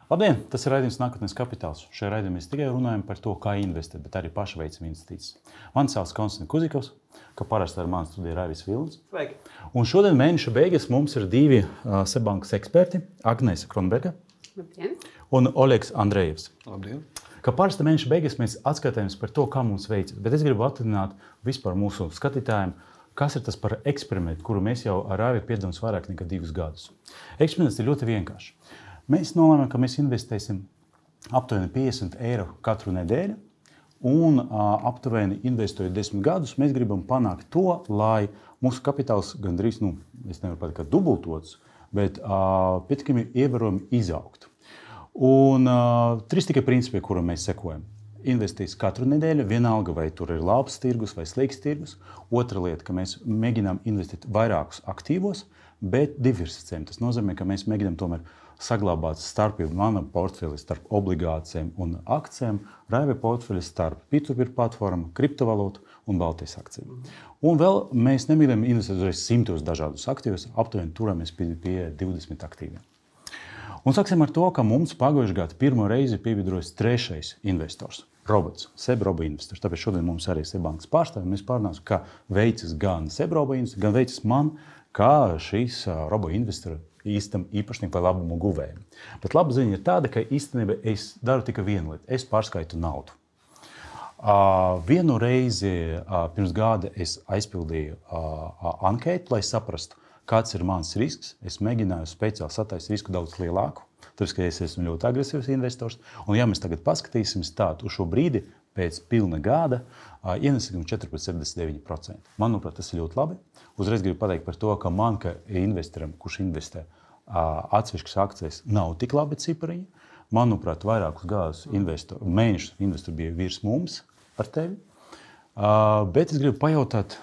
Labdien! Tas ir raidījums Nākotnes kapitāls. Šajā raidījumā mēs tikai runājam par to, kā investēt, bet arī paši veicam investīcijas. Mani sauc Konstants Kuzikovs, kā parasti ar mani studijā Raivis Vilnis. Sveiki! Un šodien mēneša beigas mums ir divi Seibankas eksperti - Agnese Kronberga un Oļegs Andrejevs. Labdien! Kā parasti mēneša beigas mēs atskatāmies par to, kā mums veicas. Bet es gribu atgādināt vispār mūsu skatītājiem, kas ir tas par eksperimentu, kuru mēs jau ar Raivi piedalāmies vairāk nekā 2 gadus. Eksperiments ir ļoti vienkāršs. Mēs nolēmām, ka mēs investēsim aptuveni 50 eiro katru nedēļu, un aptuveni investējot 10 gadus, mēs gribam panākt to, lai mūsu kapitāls gandrīz, es nevaru pateikt, ka dubultots, bet pietiekami ievērojami izaugtu. Un 3 tikai principi, kuram mēs sekojam. Investēs katru nedēļu, vienalga vai tur ir labs tirgus vai slikts tirgus. Otra lieta, ka mēs mēģinām investēt vairākus aktīvos, bet diversificējam. Tas nozīmē, ka mēs mēģinām tomēr saglabāt starpību mana portfeļa starp obligācijām un akcijiem, Raivi portfeļa starp P2P platformu, kriptovalūtu un Baltijas akcijiem. Un vēl mēs nemēģinām investēt uzreiz 100 dažādus aktīvus, aptuveni turamies pie 20 aktīviem. Un sāksim ar to, ka mums pagājušajā gadā pirmo reizi pievienojas 3. investors. Robots, SEB investors. Tāpēc šodien mums arī ir Seibankas pārstāvji. Mēs pārunāsim, kā veicas gan SEB investors, gan veicas man, kā šīs robo investora īstam īpašniekam vai labumu guvējiem. Bet laba ziņa ir tāda, ka īstenībā es daru tikai vienu lietu. Es pārskaitu naudu. Vienu reizi pirms gada es aizpildīju anketu, lai saprastu, kāds ir mans risks. Es mēģināju speciāli sataisīt risku daudz lielāku. Tāpēc, ka es esmu ļoti agresīvs investors. Un ja mēs tagad paskatīsimies tādu uz šo brīdi, pēc pilna gada, ienesīgums 4,79%. Manuprāt, tas ir ļoti labi. Uzreiz gribu pateikt par to, ka man, kā investoram, kurš investē atsevišķas akcijas, nav tik labi cipariņi. Manuprāt, vairākus gadus mēnešus investori bija virs mums ar tevi. Bet es gribu pajautāt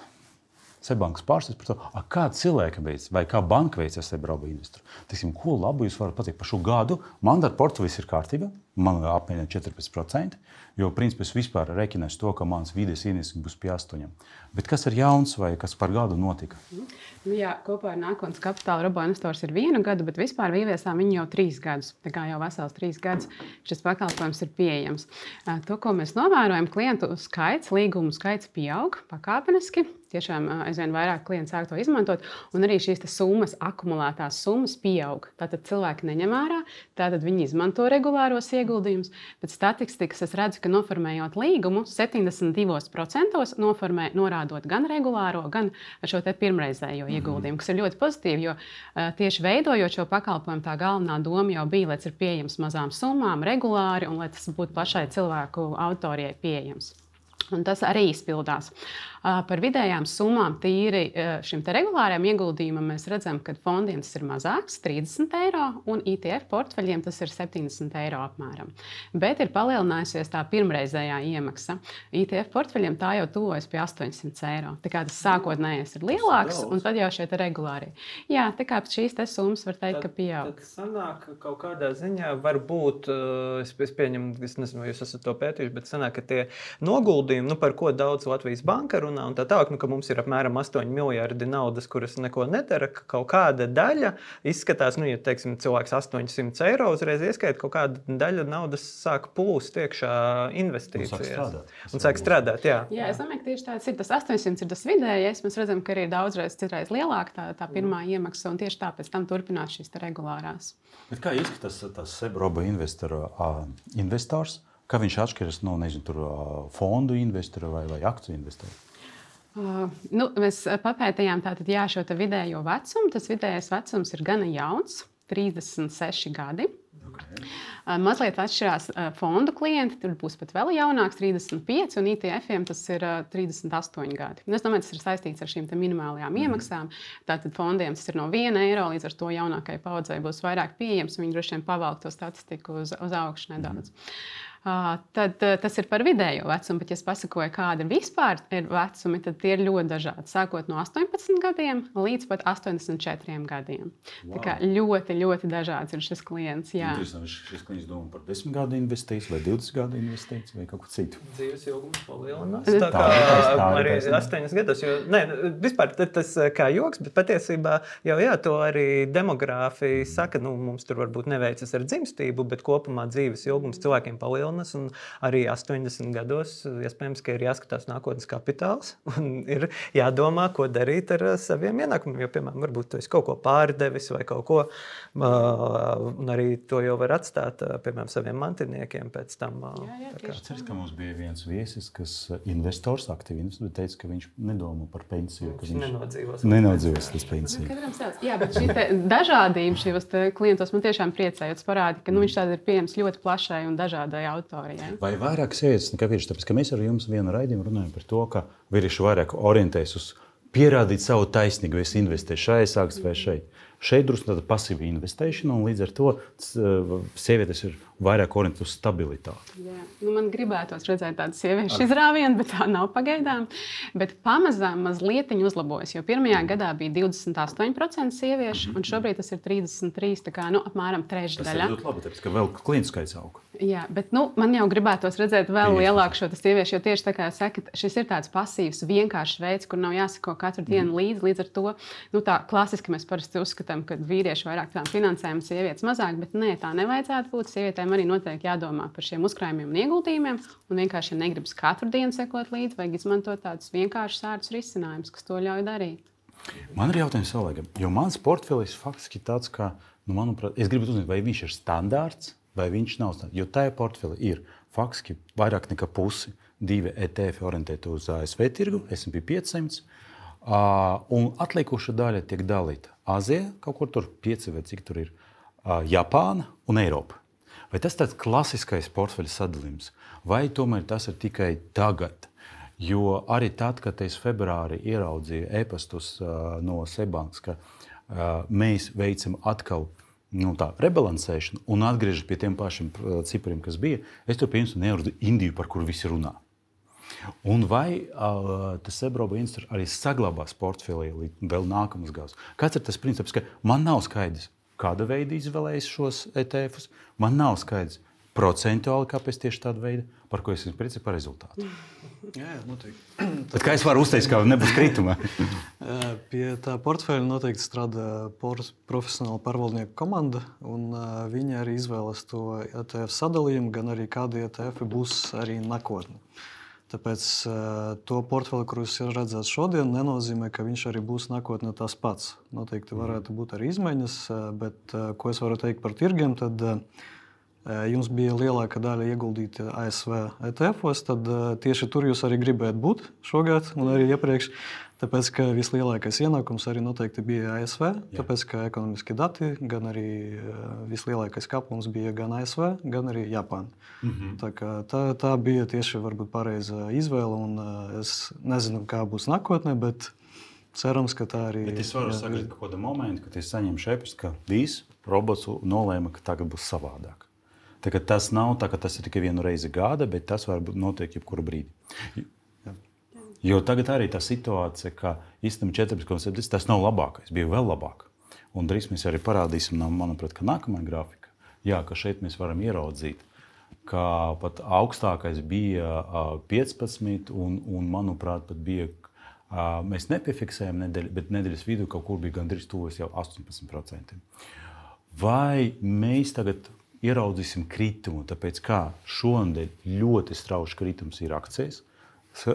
Seibankas pārstāvjiem par to, kā cilvēki veic vai kā banka veic ar SEB investoru. Teiksim, ko labu jūs varat pateikt par šo gadu? Man ar portfelis ir kārtība, man apmēram 14%, jo principā es vispār rekināšu to, ka mans vidējais ienesums būs pie 8%. Bet kas ir jauns vai kas par gadu notika? Jā, kopā ar Nākotnes kapitāla robo investors ir 1 gadu, bet vispār ieviesām viņu jau 3 gadus. Tā kā jau vesels 3 gadus šis pakalpojums ir pieejams. To, ko mēs novērojam, klientu skaits, līgumu skaits pieaug pakāpeniski. Tiešām aizvien vairāk klienti sāk to izmantot, un arī šīs summas, akumulētās summas pieaug. Tātad cilvēki neņem ārā, tātad viņi izmanto regulāros ieguldījumus. Pēc statistikas es redzu, ka noformējot līgumu 72% norādot gan regulāro, gan šo pirmreizējo ieguldījumu, kas ir ļoti pozitīvi, jo tieši veidojot šo pakalpojumu, tā galvenā doma jau bija, lai tas ir pieejams mazām summām, regulāri, un lai tas būtu plašai cilvēku auditorijai pieejams. Un tas arī izpildās. Par vidējām summām tīri šim regulārajam ieguldījumam mēs redzam, ka fondiem tas ir mazāks, 30 eiro, un ETF portfeļiem tas ir 70 eiro apmēram. Bet ir palielinājusies tā pirmreizējā iemaksa. ETF portfeļiem tā jau tuvojas pie 800 eiro. Tā kā tas sākotnējais ir lielāks, un tad jau šie regulārie. Jā, tā kā šīs summas var teikt, ka pieaug. Tad sanāk, ka kaut kādā ziņā varbūt, es pieņemu, es nezinu, vai jūs esat to pētījuši, bet sanāk, ka tie noguldījumi, par ko daudz Latvijas banka runā, un tā tālāk, ka mums ir apmēram 8 miljardi naudas, kuras neko nedara, ka kaut kāda daļa izskatās, ja teiksim, cilvēks 800 eiro uzreiz ieskaita, kaut kāda daļa naudas sāk plūst iekšā investīcijās. Un sāk strādāt, jā. Jā, es domāju, ka tieši tāds ir. Tas 800 ir tas vidējais. Mēs redzam, ka arī daudzreiz citreiz lielāka tā pirmā iemaksa, un tieši tāpēc tam turpinās šīs regulārās. Bet kā izskatās tas SEB investors? Kā viņš atšķiras no fondu investora vai akciju investora? Mēs papētījām šo vidējo vecumu. Tas vidējais vecums ir gana jauns, 36 gadi. Okay. Mazliet atšķirās fondu klienti, tur būs pat vēl jaunāks, 35, un ITF-iem tas ir 38 gadi. Es domāju, tas ir saistīts ar šīm minimālajām iemaksām. Tātad fondiem tas ir no 1 eiro, līdz ar to jaunākai paudzei būs vairāk pieejams, un viņi droši vien pavalk to statistiku uz augšu nedaudz. tad tas ir par vidējo vecumu. Bet, ja es pasakoju, kāda vispār ir vecumi, tad tie ir ļoti dažādi. Sākot no 18 gadiem līdz pat 84 gadiem. Wow. Tā kā ļoti, ļoti dažāds ir šis klients. Jā. Šis klients domā par 10 gadu investīciju vai 20 gadu investīciju vai kaut ko citu. Dzīves ilgums palielinās. Tā kā arī 8 gados. Vispār tas kā joks, bet patiesībā jau to arī demogrāfija saka, mums tur varbūt neveicas ar dzimstību, bet kopumā dzīves ilgums cilvēkiem palielinās, un arī 80 gados iespējams, ka ir jāskatās nākotnes kapitāls un ir jādomā, ko darīt ar saviem ienākumiem, jo, piemēram, varbūt tu esi kaut ko pārdevis vai kaut ko, un arī to jau var atstāt, piemēram, saviem mantiniekiem pēc tam. Ceru, ka mums bija viens viesis, kas investors, aktīvi investors, bet teica, ka viņš nedomā par pensiju, ka viņš nenodzīvos līdz pensiju. Jā, bet šī dažādība šajos klientos man tiešām priecē, jo tas parāda, ka viņš tāds ir pieejams ļoti plašai un dažādai auditorijai. Vai vairāk sievietes nekā vīrieši? Tāpēc, ka mēs ar jums vienu raidījumu runājam par to, ka vīrieši vairāk orientējas uz pierādīt savu taisnību, vai es investēju šajā sāks vai šeit. Šeit drusku tāda pasīva investēšana, un līdz ar to sievietes ir vairāk orientētas uz stabilitāti. Jā. Man gribētos redzēt tādu sieviešu izrāvienu, bet tā nav pagaidām. Bet pamazām mazliet uzlabojas, jo pirmajā gadā bija 28% sieviešu, un šobrīd tas ir 33%, tā kā apmēram trešdaļa. Tas ir ļoti labi, tāpēc, ka vēl klientu skaits aug. Jā, bet man jau gribētos redzēt vēl lielāku šo sieviešu, jo tieši tā kā sakat, šis ir tāds pasīvs, vienkāršs veids, kur nav jāsako katru dienu līdz ar to. Tā klasiski mēs parasti uzskatām, ka vīrieši vairāk tām finansēm, sievietes mazāk, bet nē, tā nevajadzētu būt. Sievietēm arī noteikti jādomā par šiem uzkrājumiem un ieguldījumiem, un vienkārši, ja negribas katru dienu sekot līdzi, vajag izmantot tādus vienkāršus ātrus risinājumus, kas to ļauj darīt. Man ir jautājums Olegam, jo mans portfelis faktiski tāds, ka, manuprāt, es gribu uzzināt, vai viņš ir standārts, vai viņš nav standārts. Jo tajā portfelī ir faktiski vairāk nekā pusi 2 ETF orientēti uz ASV tirgu, S&P 500, un atlikuša daļa tiek dalīta Azija, kaut kur tur 5 vai cik tur ir, Japāna un Eiropa. Vai tas tāds klasiskais portfeļa sadalījums, vai tomēr tas ir tikai tagad? Jo arī tad, kad es februārī ieraudzīju e-pastus no Seibankas, ka mēs veicam atkal rebalansēšanu un atgriežas pie tiem pašiem cipariem, kas bija, es tur pieņemstu neurdu Indiju, par kuru visi runā. Un vai tas Sebroba institūts arī saglabās portfelī vēl nākamas gads? Kāds ir tas princips, ka man nav skaidrs, kāda veida izvēlējas šos ETF-us, man nav skaidrs procentuāli, kāpēc tieši tāda veida, par ko es esmu priecīgs par rezultātu. Jā, noteikti. Tad kā es varu uzteikt, ka nebūs krituma? Pie tā portfeļa noteikti strādā profesionāla pārvaldnieku komanda, un viņi arī izvēlas to ETF sadalījumu, gan arī kādi ETF būs arī nākotnē. Tāpēc to portfeli, kur jūs redzat šodien, nenozīmē, ka viņš arī būs nākotnē tas pats. Noteikti varētu būt arī izmaiņas, bet ko es varu teikt par tirgiem, tad jums bija lielāka daļa ieguldīta ASV ETF-os, tad tieši tur jūs arī gribētu būt šogad un arī iepriekš. Tāpēc, ka vislielākais ienākums arī noteikti bija ASV, tāpēc, ka ekonomiskie dati, gan arī vislielākais kāpums bija gan ASV, gan arī Japāna. Tā bija tieši varbūt pareiza izvēle, un es nezinu, kā būs nākotnē, bet cerams, ka tā arī... Bet es varu sagaidīt kaut kādu momentu, kad es saņemšu e-pastu, ka viss robots nolēma, ka tagad būs savādāk. Tas nav tā, ka tas ir tikai vienu reizi gada, bet tas var notiek jebkuru brīdi. Jo tagad arī tā situācija, ka īstenībā 14,7 tas nav labākais, bija vēl labāk. Un drīz mēs arī parādīsim, manuprāt, ka nākamā grafika, ka šeit mēs varam ieraudzīt, ka pat augstākais bija 15 un manuprāt, pat bija, mēs nepiefiksējam nedēļu, bet nedēļas vidū kaut kur bija gandrīz tuvojas jau 18%. Vai mēs tagad ieraudzīsim kritumu, tāpēc kā šonadēļ ļoti strauši kritums ir akcijas,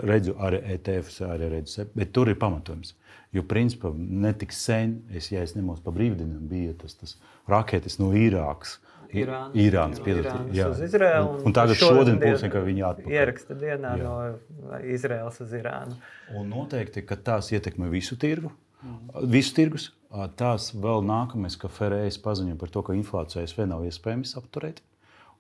redzu arī ETF, arī redzu, bet tur ir pamatojums. Jo principā netik sen, ja es nemaldos pa brīvdienām, bija tas raketes no Irānas, uz Izraelu. Un tagad šodien būs, ka viņi atpakaļ. Ieraksta dienā no Izraels uz Irānu. Un noteikti, ka tās ietekmē visu tirgus. Tās vēl nākamais, ka FRS paziņo par to, ka inflācija ASV nav iespējams apturēt,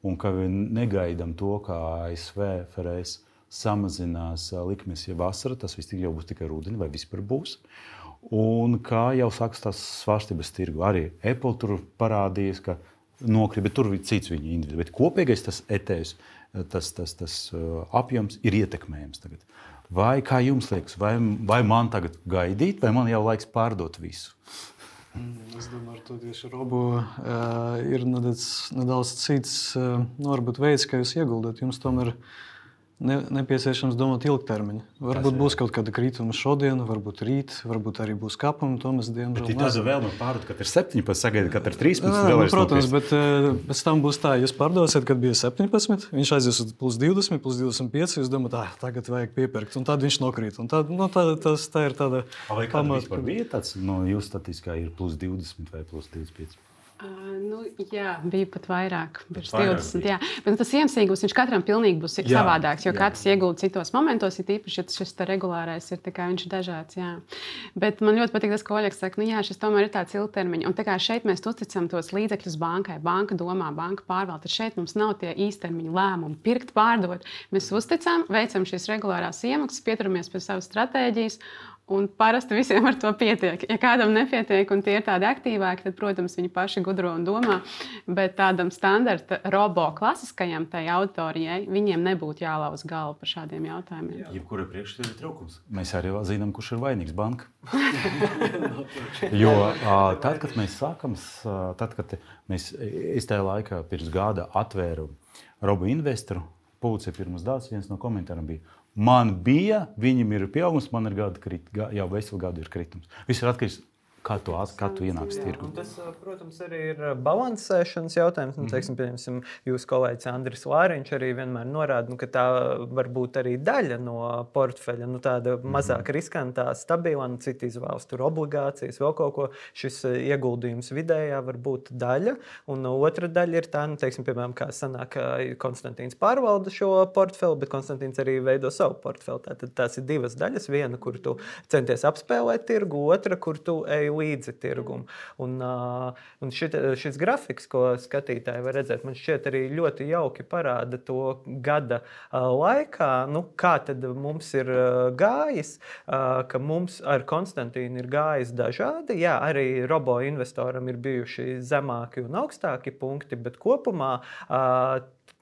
un ka negaidām to, ka ASV FRS samazinās likmes jau vasarā, tas viss jau būs tikai rudenī vai vispār būs. Un kā jau sākas tās svārstības tirgu. Arī Apple tur parādījies, ka nokrīt, bet tur ir cits viņa individu. Bet kopīgais tas ETS tas apjoms ir ietekmējams tagad. Vai kā jums liekas, vai man tagad gaidīt, vai man jau laiks pārdot visu? Es domāju, ka tieši Robo ir nedaudz cits varbūt veids, kā jūs ieguldāt. Jums tomēr nepieciešams domāt ilgtermiņā. Varbūt būs kaut kāda krituma šodien, varbūt rīt, varbūt arī būs kāpumi. To mēs diemžēl nezinām. Tāda vēlme pārdot, kad ir 17, sagaida, kad ir 13. Protams, bet pēc tam būs tā, jūs pārdosiet, kad bija 17, viņš aizies uz plus 20, plus 25, jūs domājat, tagad vajag piepirkt, un tad viņš nokrīt. Un tad, tā ir tāda vai kāda vispār bija tāds, jūsu statistiskā ir plus 20 vai plus 25? Jā, bija pat vairāk. 20, jā. Bet tas iemesls, viņš katram pilnīgi būs savādāks, jo katrs iegulda citos momentos, ir īpaši, ja šis regulārais ir, viņš ir dažāds. Jā. Bet man ļoti patīk tas, ko Oļegs saka, šis tomēr ir tāds ilgtermiņa. Un tā kā šeit mēs uzticam tos līdzekļus bankai, banka domā, banka pārvalda, tad šeit mums nav tie īstermiņa lēmumi pirkt, pārdot. Mēs uzticam, veicam šīs regulārās iemaksas, pieturamies pie savas stratēģijas. Un parasti visiem ar to pietiek. Ja kādam nepietiek, un tie ir tādi aktīvāki, tad, protams, viņi paši gudro un domā. Bet tādam standarta robo klasiskajam tai auditorijai, viņiem nebūtu jālauz galva par šādiem jautājumiem. Jebkura priekšstata ir trūkums. Mēs arī zinām, kurš ir vainīgs banka. Jo tad, kad mēs sākam, es tajā laikā pirms gada atvēru Robo investoru, publicēju pirmas datus, viens no komentāriem bija. Man bija, viņam ir pieaugums, man ir jau veselu gadu ir kritums. Viss ir atkarīgs, kā tu ienāks tirgu. Tas, protams, arī ir balansēšanas jautājums. Teiksim, pieņemsim, jūsu kolēģis Andris Lāriņš arī vienmēr norāda, ka tā var būt arī daļa no portfeļa, tāda mazāk riskantā, stabila, citi izvēlas tur obligācijas, vēl kaut ko. Šis ieguldījums vidējā var būt daļa, un otra daļa ir tā, teiksim, piemēram, kā sanāk, Konstantīns pārvalda šo portfeli, bet Konstantīns arī veido savu portfeli. Tātad tās ir divas daļas. Viena, kur tu centies apspēlēt tirgu, otra, kur tu ej līdzi tirgumu. Un šis grafiks, ko skatītāji var redzēt, man šķiet arī ļoti jauki parāda to gada laikā, kā tad mums ir gājis, ka mums ar Konstantīnu ir gājis dažādi. Jā, arī robo investoram ir bijuši zemāki un augstāki punkti, bet kopumā,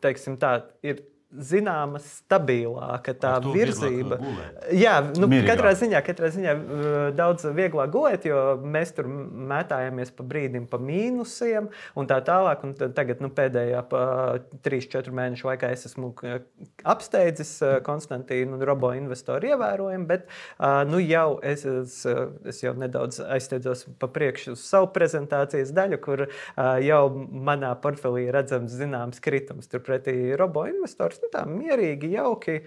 teiksim tā, ir zināma stabilāka tā virzība. Jā, katrā ziņā daudz vieglāk gulēt, jo mēs tur mētājamies pa brīdim pa mīnusiem un tā tālāk. Un tagad pēdējā 3-4 mēnešu laikā es esmu apsteidzis Konstantīnu un robo investoru ievērojami, bet jau es jau nedaudz aizsteidzos pa priekšu uz savu prezentācijas daļu, kur jau manā portfelī redzams zināms kritums. Turpretī robo investors tā mierīgi, jauki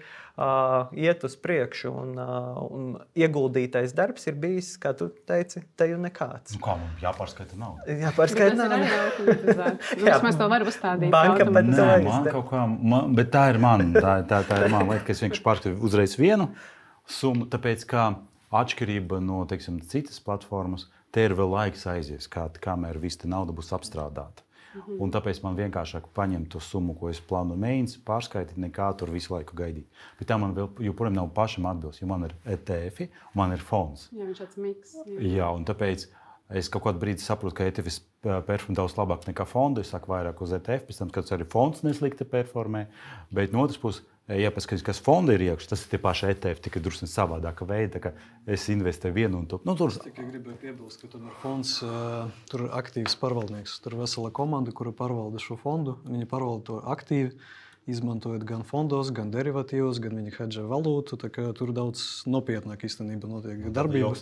iet uz priekšu, un ieguldītais darbs ir bijis, kā tu teici, teju nekāds. Kā mums jāpārskaita naudu? Jāpārskaita naudu. Mēs to varam uzstādīt. Banka pat to man kaut kā, bet tā ir man lieta, ka es vienkārši pārskatu uzreiz vienu summu, tāpēc kā atšķirība no, teiksim, citas platformas, te ir vēl laiks aizies, kamēr viss te nauda būs apstrādāta. Un tāpēc man vienkāršāk paņemt to summu, ko es plānu mēģināt, pārskaitīt, nekā tur visu laiku gaidīt. Bet tā man vēl joprojām nav pašam atbilst, jo man ir ETF, man ir fonds. Jā, viņš tāds miks. Jā, un tāpēc es kaut kādu brīdi saprotu, ka ETF performē daudz labāk nekā fondu. Es saku vairāk uz ETF, pēc tam, kad arī fonds neslikti performē. Bet no otras puses, ja paskatās, kas fonda ir iekšā, tas ir tie paši ETF, tikai drusku savādāka veida, ka es investēju vienu un to. Tikai gribēju piebilst, ka tomēr fonds tur ir aktīvs pārvaldnieks. Tur ir vesela komanda, kura pārvalda šo fondu. Viņi pārvalda to aktīvi, izmantojot gan fondos, gan derivatīvos, gan viņi hedžē valūtu. Tur daudz nopietnāk īstenībā notiek darbība.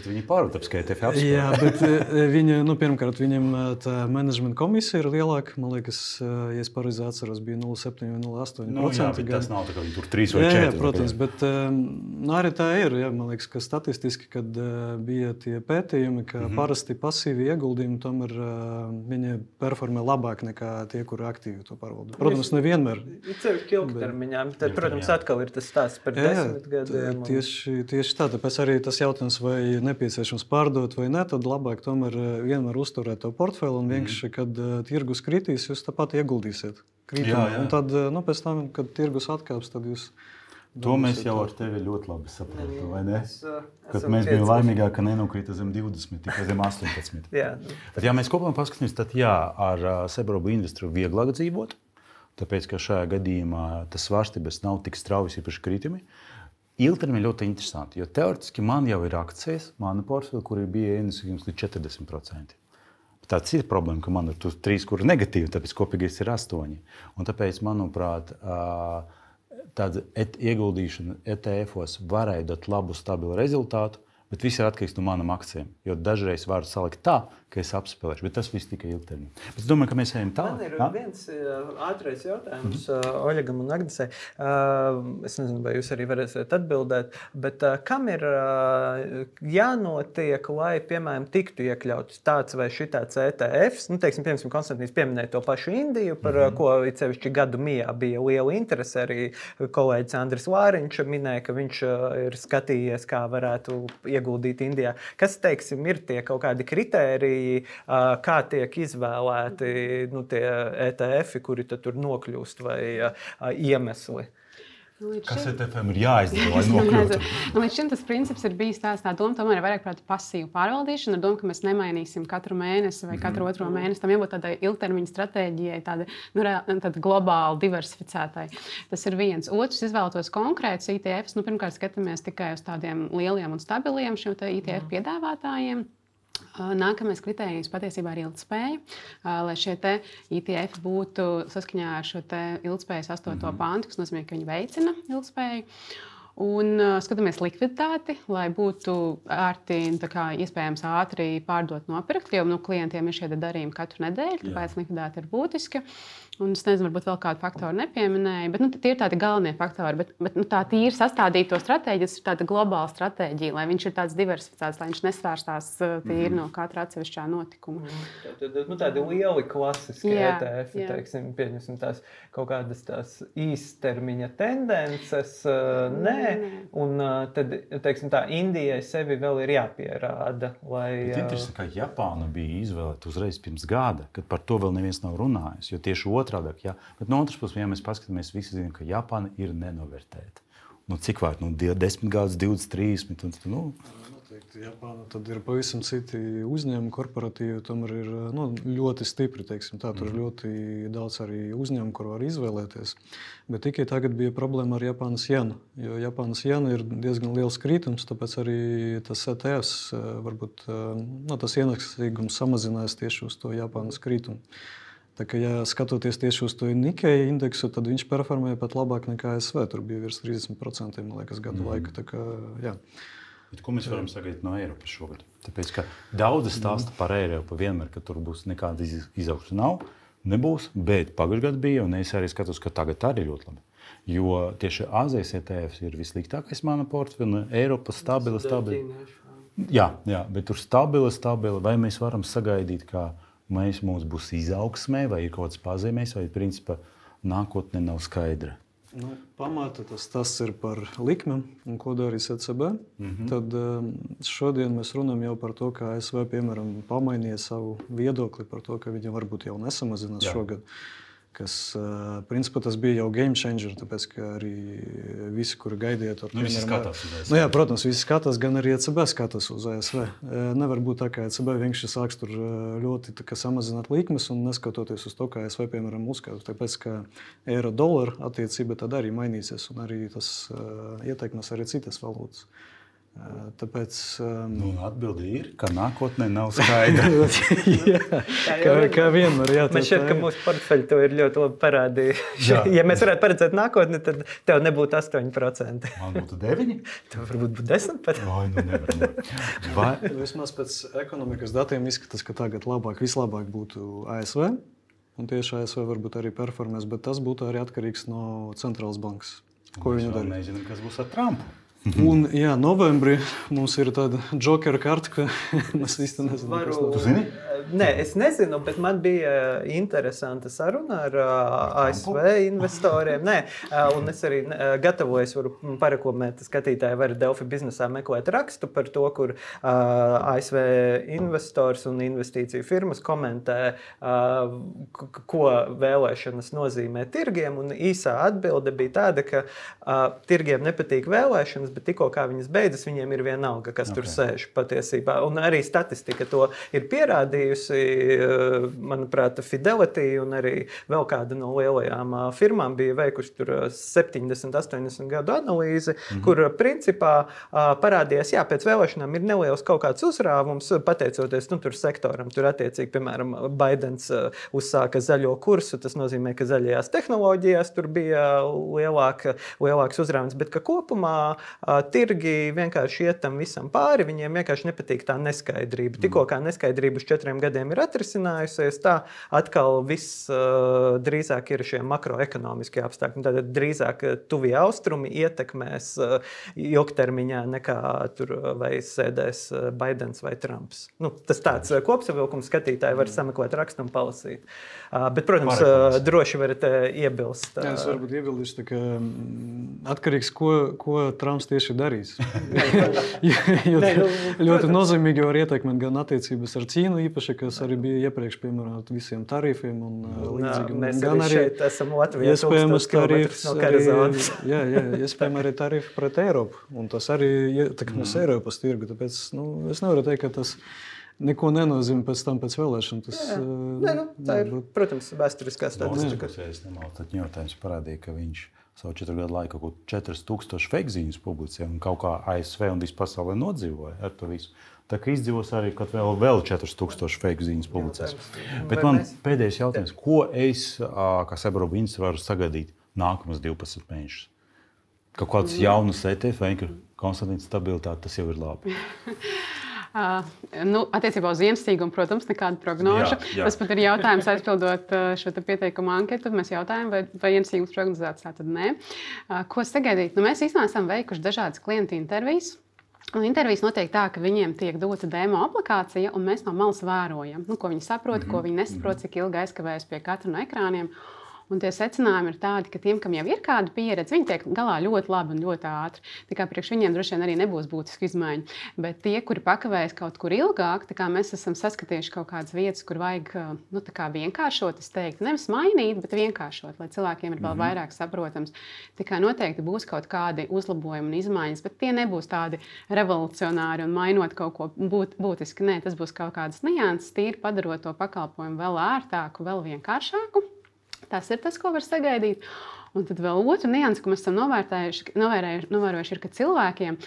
Viņi pārvalda ETF apskatu. Jā, bet viņi, pirmkārt, viņiem tā menedžmenta komisija ir lielāka. Man liekas, ja es pareizi atceros, bija 0,7 vai 0,8%. Jā, bet tas nav tā, ka viņi tur 3 vai 4. Jā, protams, bet arī tā ir. Jā, man liekas, ka statistiski, kad bija tie pētījumi, ka parasti pasīvi ieguldījumi tomēr viņi performē labāk nekā tie, kuri aktīvi to pārvalda. Protams, nevienmēr. Ceļš ilgtermiņā. Tad, protams, atkal ir tas stāsts par 10 gadiem. Tieši tā. Tāpēc arī tas jautājums, vai nepieciešams pārdot vai ne, tad labāk tomēr vienmēr uzturēt to portfeli un vienkārši, kad tirgus kritīs, jūs tāpat ieguldīsiet kritumā. Un tad, pēc tam, kad tirgus atkāps, tad jūs... To mēs jau ar tevi ļoti labi saprotam, vai ne? Kad mēs bijām laimīgāki, ka nenokrita zem 20, tikai zem 18. Jā. Tad, ja mēs kopumā paskatāmies, tad jā, ar Robo investoru vieglāk dzīvot. tāpēc, ka šajā gadījumā tas svārstības nav tik strauji īpaši kritumi. Ilgtermiņā ļoti interesanti, jo teoretiski man jau ir akcijas, mana portfeļa, kur bija ienesījums līdz 40%. Tā ir problēma, ka man ir 3, kur ir negatīvi, tāpēc kopīgais ir 8. Un tāpēc, manuprāt, tāda ieguldīšana ETF-os varēja dot labu, stabilu rezultātu, bet viss ir atkarīgs no manām akcijām. Jo dažreiz var salikt tā, ka es apspēlēšu, bet tas viss tikai ilgtermiņā. Bet es domāju, ka mēs ejam tālāk. Man ir viens ātrais jautājums Oļegam un Agnesei. Es nezinu, vai jūs arī varēsiet atbildēt, bet kam ir jānotiek, lai, piemēram, tiktu iekļauts tāds vai šitāds ETFs? Teiksim, piemēram, Konstantīns pieminēja to pašu Indiju, par ko sevišķi gadu mijā bija liela interese. Arī kolēģis Andris Vāriņš minēja, ka viņš ir skatījies, kā varētu ieguldīt Indijā. Kas, teiksim, ir tie kaut kādi kritēriji, kā tiek izvēlēti tie ETF-i, kuri tur nokļūst, vai iemesli? Kas ETF-am ir jāizdara, lai nokļūtu? Līdz šim tas princips ir bijis tā doma, tomēr ir vairāk par pasīvu pārvaldīšanu, ar domu, ka mēs nemainīsim katru mēnesi vai katru otro mēnesi. Tam jābūt tādai ilgtermiņa stratēģijai, tāda globāli diversificētai. Tas ir viens. Otrs, izvēlētos konkrētus ETFs. Pirmkārt, skatāmies tikai uz tādiem lieliem un stabiliem šiem ETF piedāvātājiem. Nākamais kritērijs patiesībā ir ilgtspēja, lai šie ETF būtu saskaņā ar šo ilgtspējas 8. pāntu, kas nozīmē, ka viņi veicina ilgtspēju. Un skatāmies likviditāti, lai būtu iespējams ātri pārdot, nopirkt, jo klientiem ir šie darījumi katru nedēļu, tāpēc likviditāte ir būtiska. Un es nezinu, varbūt vēl kādu faktoru nepieminēju, bet tie ir tādi galvenie faktori. Bet tā tīri sastādīt to stratēģiju, tas ir tāda globāla stratēģija, lai viņš ir tāds diversificēts, lai viņš nesvērstās tīri no katra atsevišķā notikuma. Tādi lieli klasiski ETF, teiksim, pieņemsim tās kaut kādas tās īstermiņa tendences, nē. Un tad, teiksim, tā Indijai sevi vēl ir jāpierāda. Bet interesanti, ka Japāna bija izvēlēta uzreiz pirms gada, kad par to vēl neviens nav runājis, jo tieši otrādāk, bet no otras puses, ja mēs paskatāmies, visi zinām, ka Japāna ir nenovērtēta. Cik vārds? 10 gadus, 20, 30. Noteikti Japāna tad ir pavisam citi uzņēmumi, korporatīvi, tomēr ir ļoti stipri, teiksim tā. Tur ir ļoti daudz arī uzņēmumu, kur var izvēlēties. Bet tikai tagad bija problēma ar Japānas jenu, jo Japānas jena ir diezgan liels krītums, tāpēc arī tas ETFs varbūt tas ienesīgums samazinās tieši uz to Japānas krītumu. Tā kā, ja skatoties tieši uz to Nikkei indeksu, tad viņš performēja pat labāk nekā ASV. Tur bija virs 30%, man liekas, gadu laika. Tā kā, jā. Bet ko mēs varam sagaidīt no Eiropas šogad? Tāpēc, ka daudzi stāsta par Eiropu vienmēr, ka tur būs nekāda izaugsme nebūs, bet pagājušajā gadā bija, un es arī skatos, ka tagad arī ļoti labi. Jo tieši Āzijas ETFs ir vissliktākais mana portfeļa, Eiropa stabila. Jā, bet tur stabila, vai mēs varam sagaidīt, ka mums būs izaugsmē, vai ir kaut kāds pazīmēs, vai principā nākotne nav skaidra. Pamata tas ir par likmēm un ko darīs ECB. Tad šodien mēs runājam jau par to, ka ASV, piemēram, pamainīja savu viedokli par to, ka viņi varbūt jau nesamazinās šogad. Kas, principā, tas bija jau game changer, tāpēc, ka arī visi, kuri gaidīja to... Visi skatās uz ASV. Protams, visi skatās, gan arī ECB skatās uz ASV. Nevar būt tā, ka ECB vienkārši sāks tur ļoti samazināt likmes un neskatoties uz to, kā ASV, piemēram, uzskata. Tāpēc, ka eiro-dollara attiecība tad arī mainīsies un arī tas ietekmēs arī citas valūtas. Tāpēc, atbilde ir, ka nākotnē nav skaidra. kā vienmēr. Man šķiet, ka mūsu portfeļi to ir ļoti labi parādījuši. Ja mēs varētu paredzēt nākotni, tad tev nebūtu 8%. Man būtu 9? Tev varbūt būtu 10 pat. Nevar. Vismaz pēc ekonomikas datiem izskatās, ka tagad vislabāk būtu ASV. Un tieši ASV varbūt arī performēs, bet tas būtu arī atkarīgs no centrālas bankas. Ko viņi dara? Mēs nezinām, kas būs ar Trumpu. Un, novembrī mums ir tāda jokera karta, ka mēs īsti nezinām, kas Tu zini? Nē, es nezinu, bet man bija interesanta saruna ar ASV investoriem. Nē, un es arī gatavojos, varu pareklamēt, skatītāji var Delfi biznesā meklēt rakstu par to, kur ASV investors un investīciju firmas komentē, ko vēlēšanas nozīmē tirgiem. Un īsā atbilde bija tāda, ka tirgiem nepatīk vēlēšanas, bet tikko kā viņas beidzas, viņiem ir vienalga, kas tur sēž patiesībā. Un arī statistika to ir pierādījusi. izveidojusi, manuprāt, Fidelity un arī vēl kāda no lielajām firmām bija veikuši tur 70, 80 gadu analīzi, kur principā parādījās, jā, pēc vēlēšanām ir neliels kaut kāds uzrāvums, pateicoties tur sektoram. Tur attiecīgi, piemēram, Baidens uzsāka zaļo kursu, tas nozīmē, ka zaļajās tehnoloģijās tur bija lielāks uzrāvums, bet ka kopumā tirgi vienkārši iet tam visam pāri, viņiem vienkārši nepatīk tā neskaidrība. Tikko kā neskaidrība uz 4 gadiem ir atrisinājusies, tā atkal viss drīzāk ir šie makroekonomiskie apstākļi. Tātad drīzāk tuvie austrumi ietekmēs ilgtermiņā nekā tur vai sēdēs Baidens vai Trumps. Tas tāds kopsavilkums skatītāji var sameklēt rakstu un palasīt. Bet, protams, droši varat iebilst. Jā, es varbūt iebildīšu, ka atkarīgs, ko Trumps tieši darīs. Ļoti nozīmīgi var ietekmēt gan attiecības ar Ķīnu īpaši, kas arī bija iepriekš piemērot visiem tarifiem un līdzīgi. Mēs gan arī šeit esam Latvijā iespējams tarifs no karazonas. Jā, iespējams arī tarifi pret Eiropu. Un tas arī ietekmēs Eiropas tirgu. Tāpēc es nevaru teikt, ka tas neko nenozīmē pēc tam pēc vēlēšanu. Tā ir, protams, vēsturiskā statistika. Es nemaldu, tad ņotājums parādīja, ka viņš savu 4 gadu laiku kaut 4000 fake ziņas publicēja un kaut kā ASV un visu pasaulē nodzīvoja ar to visu. Tā kā izdzīvos arī, kad vēl 4000 fake ziņas publicēs. Bet man pēdējais jautājums, ko es, kā sabiedrība ministrs, varu sagaidīt nākamos 12 mēnešus? Kaut kāds jaunas ETF, vai Konstantīns stabilitāte, tas jau ir labi. Attiecībā uz ienesīgumu, protams, nekāda prognoža. Tas pat ir jautājums, aizpildot šo pieteikumu anketu. Mēs jautājām, vai ienesīgums prognozēts, tā tad nē. Ko sagaidīt? Mēs īstenībā esam veikuši dažādas klientu intervijas. Un intervijas notiek tā, ka viņiem tiek dota demo aplikācija, un mēs no malas vērojam, ko viņi saprot, ko viņi nesaprot, cik ilgi aizkavējas pie katra no ekrāniem. Un tie secinājumi ir tādi, ka tiem, kam jau ir kāda pieredze, viņi tiek galā ļoti labi un ļoti ātri. Tā kā priekš viņiem droši vien arī nebūs būtiski izmaiņa. Bet tie, kuri pakavējas kaut kur ilgāk, tā kā mēs esam saskatījuši kaut kādas vietas, kur vajag vienkāršot, es teiktu, nevis mainīt, bet vienkāršot, lai cilvēkiem ir vēl vairāk saprotams. Tā kā noteikti būs kaut kādi uzlabojumi un izmaiņas, bet tie nebūs tādi revolucionāri un mainot kaut ko būtiski. Nē, tas būs kaut kādas nianses, tīri padarot to pakalpojumu vēl ērtāku, vēl vienkāršāku. Tas ir tas, ko var sagaidīt. Un tad vēl otra nianse, ko mēs esam novērojuši, ir, ka cilvēkiem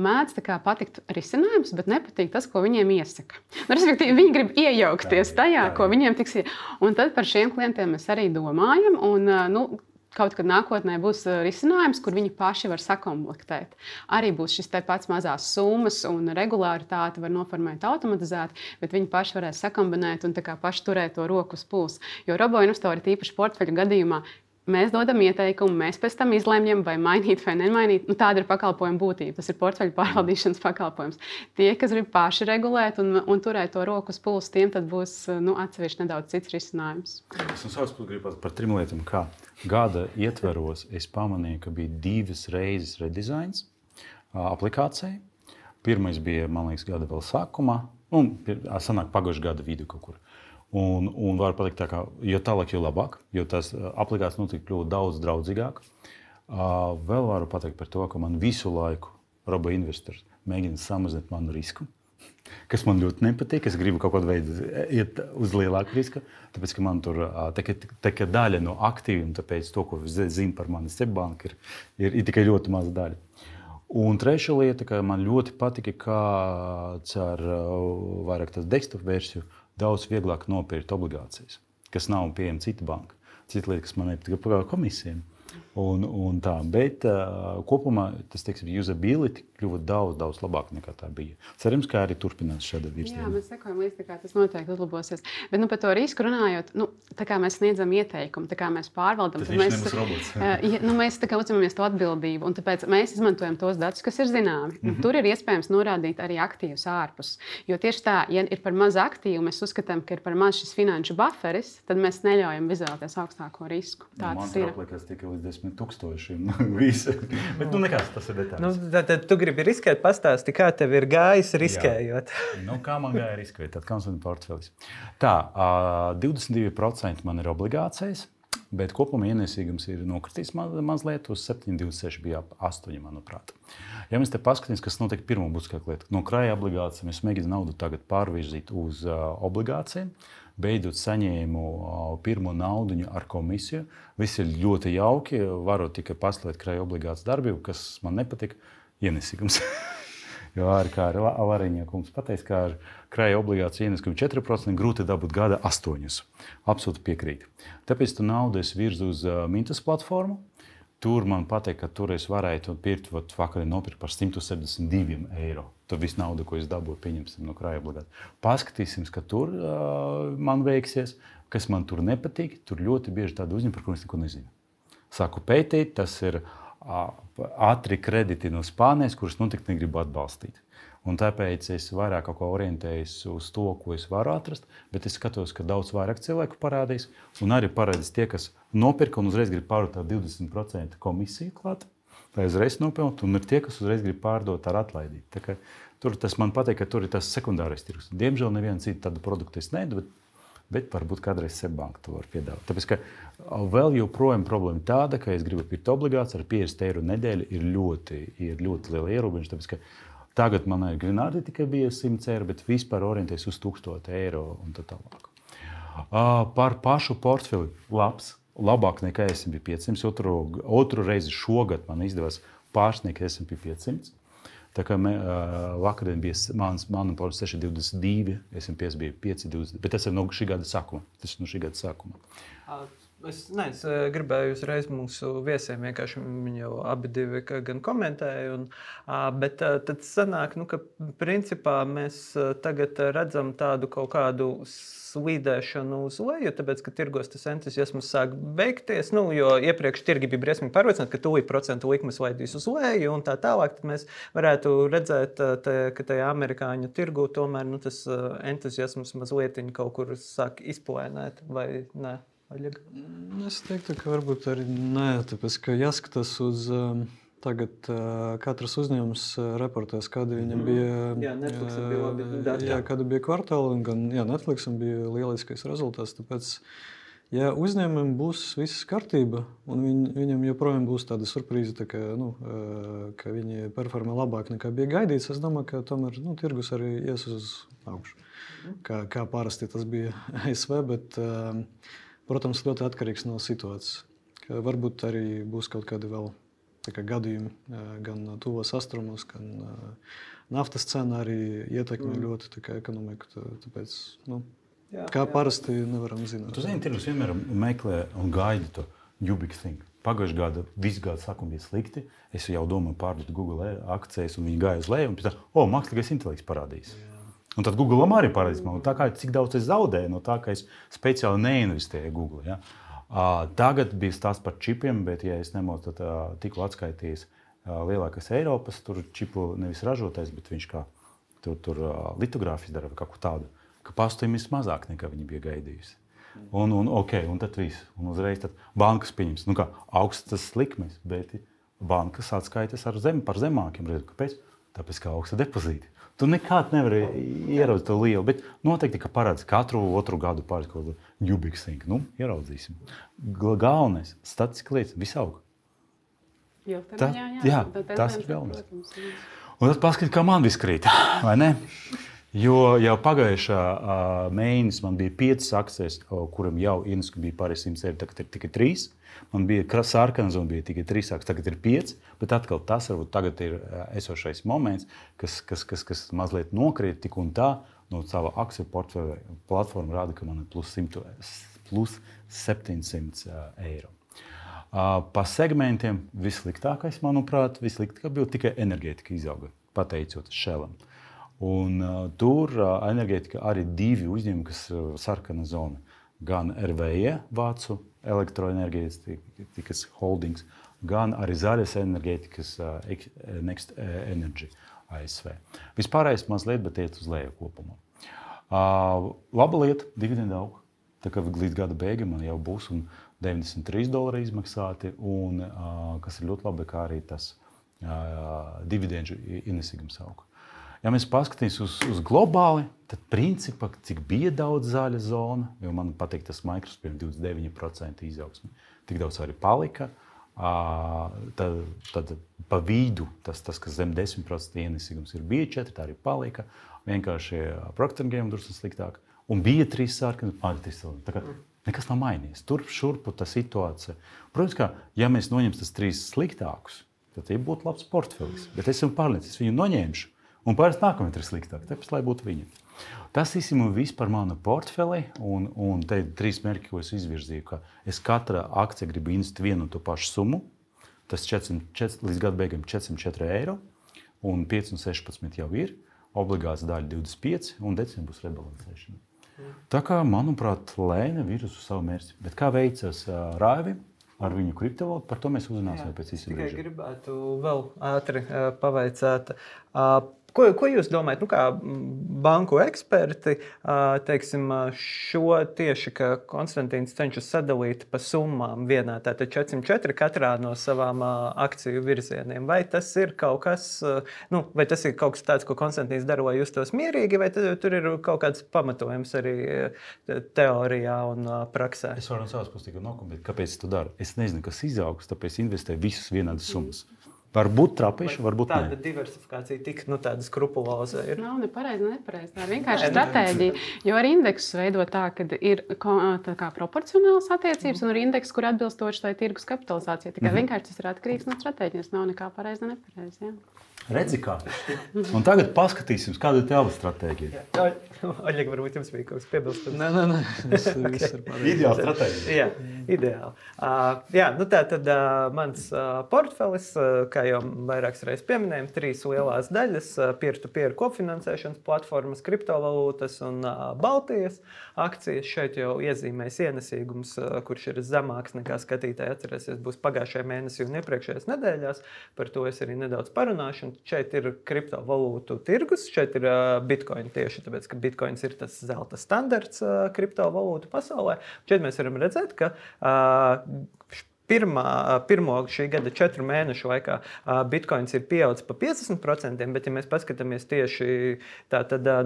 mēdz patikt risinājums, bet nepatīk tas, ko viņiem iesaka. Respektīvi, viņi grib iejaukties tajā, ko viņiem tiks. Un tad par šiem klientiem mēs arī domājam. Un, kaut kad nākotnē būs risinājums, kur viņi paši var sakomplektēt. Arī būs šis te pats mazās summas un regulāritāte var noformēt automatizēti, bet viņi paši varēs sakombinēt un paši turēt to roku uz pulsa. Jo roboinvestori tīpaši portfeļu gadījumā mēs dodam ieteikumu, mēs pēc tam izlemjam, vai mainīt vai nemainīt. Tāda ir pakalpojuma būtība. Tas ir portfeļu pārvaldīšanas pakalpojums. Tie, kas grib paši regulēt un turēt to roku uz pulsa, tiem tad būs atsevišķi nedaudz cits risinājums. Es no savas puses gribu par 3 lietām. Kā gada ietveros es pamanīju, ka bija 2 reizes redizajns aplikācijai. Pirmais bija, man liekas, gada vēl sākumā, un sanāk pagājušā gada vidu kaut kur. Un var pateikt, tā, ka jo tālāk, jo labāk, jo tās aplikācijas notiek kļūt daudz draudzīgāk. Vēl varu pateikt par to, ka man visu laiku robo-investors mēģina samazināt manu risku, kas man ļoti nepatīk. Es gribu kaut kādu veidu iet uz lielāku risku, tāpēc, ka man tur tā daļa no aktīviem, tāpēc to, ko zinu par mani Sebbanku, ir tikai ļoti maza daļa. Un trešā lieta, ka man ļoti patika, kā caur vairāk tas desktop versiju daudz vieglāk nopirkt obligācijas, kas nav pieejama cita banka. Cita lieta, kas man nepatika par komisijām. Un tā, bet kopumā tas, usability kļuva daudz labāk nekā tā bija. Cerams, ka arī turpinās šāda virziena. Jā, mēs sekojam līdzi, kā tas noteikti uzlabosies. Bet par to risku runājot, tā kā mēs sniedzam ieteikumu, tā kā mēs pārvaldam, tad mēs uzņemamies to atbildību. Un tāpēc mēs izmantojam tos datus, kas ir zināmi. Tur ir iespējams norādīt arī aktīvus ārpus. Jo tieši tā, ja ir par maz aktīvu, mēs uzskatām, ka ir par maz šis finanšu buferis, tad mēs neļaujam izvēlēties augstāko risku. Tā tas ir. Man 10 000 visi. Bet nekas, tas ir detaļas. Tad tu gribi riskēt, pastāsti, kā tev ir gājis riskējot. Kā man gāja riskēt, tad Konstantīna portfelis. Tā, 22% man ir obligācijas, Bet kopumā ienesīgums ir nokritīs mazliet uz 7,26, bija ap 8, manuprāt. Ja mēs te paskatīsimies, kas notiek pirmo būtiskāko lietu, no krāja obligācijām es mēģinu naudu tagad pārvirzīt uz obligācijām. Beidzot saņēmu pirmo naudiņu ar komisiju. Viss ir ļoti jauki, varu tikai paslēgt krāja obligācijas darbību, kas man nepatika, ienesīgums. Jo arī kā Lariņa kungs pateica, ka ar krāja obligāciju ienesīgumu 4% grūti dabūt gada 8. Absolūti piekrītu. Tāpēc tu naudu es virzu uz Mintas platformu. Tur man pateikt, ka tur es varētu pirkt, vakar nopirkt par 172 eiro. Tur viss nauda, ko es dabūju, pieņemsim no krāja obligācijas. Paskatīsim, ka tur man veiksies, kas man tur nepatīk. Tur ļoti bieži tādi uzņēmumi, par kuriem es neko nezinu. Sāku pētīt, tas ir ātri krediti no Spānijas, kurus noteikti negribu atbalstīt. Un tāpēc es vairāk kaut ko orientējos uz to, ko es varu atrast, bet es skatos, ka daudz vairāk cilvēku parādīs. Un arī parādīs tie, kas nopirka un uzreiz grib pārdot ar 20% komisiju klāt, lai uzreiz nopelnītu, un ir tie, kas uzreiz grib pārdot ar atlaidību. Tā kā tur tas man patīk, ka tur ir tas sekundārais tirgus. Diemžēl nevienu citu tādu produktu es nedu, bet varbūt kādreiz Seibanka to var piedāvāt. Tāpēc, ka vēl joprojām problēma tāda, ka es gribu pirkt obligācijas ar 50 eiro nedēļu, ir ļoti liela ierobežojuma. Tāpēc, ka tagad man ir Grenādi tikai bija 100 eiro, bet vispār orientēs uz 1000 eiro un tā tālāk. Par pašu portfeli labāk nekā S&P 500. Otru reizi šogad man izdevās pārsniegt S&P 500. Tā kā vakardien bija mana portfeļa 6,22, S&P bija 5,20, bet tas ir no šī gada sākuma. Es gribēju uzreiz mūsu viesiem, vienkārši viņi jau abi divi gan komentēja, bet tad sanāk, ka principā mēs tagad redzam tādu kaut kādu slīdēšanu uz leju, tāpēc, ka tirgos tas entuziasms sāk beigties, jo iepriekš tirgi bija briesmīgi pārliecināti, ka tūlīt procentu likmes laidīs uz leju un tā tālāk, tad mēs varētu redzēt, ka tajā amerikāņu tirgu tomēr tas entuziasms mazliet kaut kur sāk izplēnēt, vai ne? Es teiktu, ka varbūt arī nē, tāpēc, ka jāskatās uz tagad katrs uzņēmums reportēs, kādi viņam bija, Netflixam bija labi dati. Kāda bija kvartāla, un gan Netflixam bija lieliskais rezultāts, tāpēc, ja uzņēmumam būs viss kārtība, un viņam joprojām būs tāda surprīze, tā kā, ka viņi performē labāk nekā bija gaidīts, es domāju, ka tomēr tirgus arī ies uz augšu, kā parasti tas bija ASV, bet protams, ļoti atkarīgs no situācijas. Varbūt arī būs kaut kādi vēl gadījumi, gan tuvos austrumos, gan naftas cena arī ietekmē ļoti ekonomiku. Tāpēc, kā parasti nevaram zināt. Tu zini, tirgus vienmēr meklē un gaida to new big thing. Pagājušajā gadā visu gadu sākuma bija slikti. Es jau domāju pārdot Google akcijas, un viņi gāja uz leju, un pēc tam, mākslīgais intelekts parādīs. Un tad Google'am arī parādīs man, tā kā cik daudz es zaudēju no tā, ka es speciāli neinvestēju Google. Ja? Tagad bija stāsts par čipiem, bet, ja es nemocu, tad tikko atskaitījis lielākais Eiropas čipu nevis ražotājs, bet viņš kā tur litogrāfijas dara vai kaut ko tādu, ka pastāvības mazāk nekā viņi bija gaidījusi. Un tad viss. Un uzreiz tad bankas pieņems. Augstas likmes, bet bankas atskaitas par zemākiem. Kāpēc? Tāpēc, ka augsta depozīti. Tu nekad nevari ieraudzīt to lielu, bet noteikti, ka parādās katru otru gadu pāris kaut kādu new big thing. Ieraudzīsim. Galvenais - statistiska lietas, visaug. Tas ir galvenais. Un tad paskatīt, kā man viss krīt, vai ne? Jo jau pagājušā mēnesis man bija 5 akcijas, kuram jau ienesku bija pāris 100 eiro, tagad ir tikai 3. Man bija sarkanas un bija tikai 3 akcijas, tagad ir 5. Bet atkal tas varbūt tagad ir esošais moments, kas mazliet nokrīt tik un tā no sava akciju portfeļa platforma rāda, ka man ir plus 700 eiro. Pa segmentiem vissliktākais, manuprāt, bija tikai enerģētika izauga, pateicot Shellam. Un tur enerģētika arī 2 uzņēmumi, kas sarkana zona. Gan RVE, Vācu elektroenerģētikas holdings, gan arī zaļas enerģētikas Next Energy ASV. Vispārējais mazliet, bet iet uz leju kopumā. Laba lieta, dividenda aug. Tā kā līdz gada beigām man jau būs $93 izmaksāti, un kas ir ļoti labi, kā arī tas dividendžu ienesīgums aug. Ja mēs paskatīsimies uz globāli, tad principā, cik bija daudz zaļa zona, jo man patīk tas Microsoft 29% izaugsme, tik daudz arī palika. Tad pa vidu tas, kas zem 10% ienesīgums bija 4, tā arī palika. Vienkārši Procter & Gamble drusku sliktāk. Un bija 3 sarkani, tā kā nekas nav mainījies. Turp šurpu tā situācija. Protams, ka ja mēs noņemsim tas 3 sliktākus, tad tie būtu labs portfelis. Bet es esmu pārliecināts, viņu noņemšu. Un pārējais nākamais ir sliktāk, tāpēc, lai būtu viņa. Tas īstenībā viss par manu portfeli, un te ir 3 mērķi, ko es izvirzīju, ka es katra akcija gribu investēt vienu un to pašu summu. Tas līdz gada beigām 404 eiro, un 5 un 16 jau ir, obligāts daļa 25, un decembrī būs rebalansēšana. Tā kā, manuprāt, lēna virz uz savu mērķi. Bet kā veicas Raivim ar viņu kriptovalūtu, par to mēs uzzināsim pēc īsa brīža. Tikai gribētu vēl ātri pavaicāt. Ko jūs domājat, kā banku eksperti, teiksim, šo tieši, ka Konstantīns cenšas sadalīt pa summām vienā, tātad 404 katrā no savām akciju virzieniem? Vai tas ir kaut kas, vai tas ir kaut kas tāds, ko Konstantīns dara, lai justos mierīgi, vai tur ir kaut kāds pamatojums arī teorijā un praksē? Es varu no savas puses tikai nokomentēt, kāpēc es to daru. Es nezinu, kas izaugs, tāpēc investēju visus vienādas summas. Varbūt trapīši, varbūt ne. Tāda diversifikācija tik tāda skrupuloza ir. Nav nepareizi. Tā ir vienkārši stratēģija. Jo ar indeksu veidot tā, ka ir tā kā proporcionāls attiecības un ar indeksu, kur atbilstoši tai tirgus kapitalizācija. Tikai vienkārši tas ir atkarīgs no stratēģijas. Nav nekā pareizi, nepareizi. Jā. Redzi kā. Un tagad paskatīsim, kāda ir tava stratēģija. Oļeg, varbūt jums bija kaut kas piebilstams. Nē. Viss ir pareizi. Ideāla stratēģija. Jā, ideāli. Tā tad mans portfelis, kā jau vairākas reizes pieminējām, 3 lielās daļas - peer-to-peer kopfinansēšanas platformas, kriptovalūtas un Baltijas akcijas. Šeit jau iezīmēs ienesīgums, kurš ir zemāks nekā skatītāji atcerēsies, būs pagājušajā mēnesī un iepriekšējās nedēļās. Par to es arī nedaudz parunāšu. Šeit ir kriptovalūtu tirgus, šeit ir Bitcoin tieši, tāpēc, ka Bitcoins ir tas zelta standarts kriptovalūtu pasaulē. Šeit mēs varam redzēt, ka pirmo šī gada 4 mēnešu laikā Bitcoins ir pieaudzis pa 50%, bet ja mēs paskatāmies tieši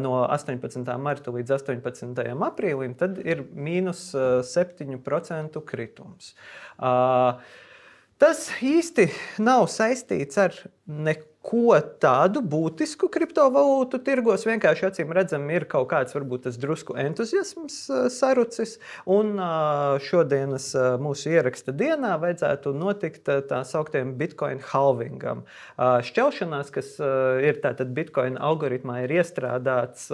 no 18. marta līdz 18. aprīlim, tad ir mīnus 7% kritums. Tas īsti nav saistīts ar neko tādu būtisku kriptovalūtu tirgos. Vienkārši acīm redzam, ir kaut kāds varbūt tas drusku entuziasms sarucis. Un šodienas mūsu ieraksta dienā vajadzētu notikt tā sauktiem Bitcoin halvingam. Šķelšanās, kas ir tātad Bitcoin algoritmā, ir iestrādāts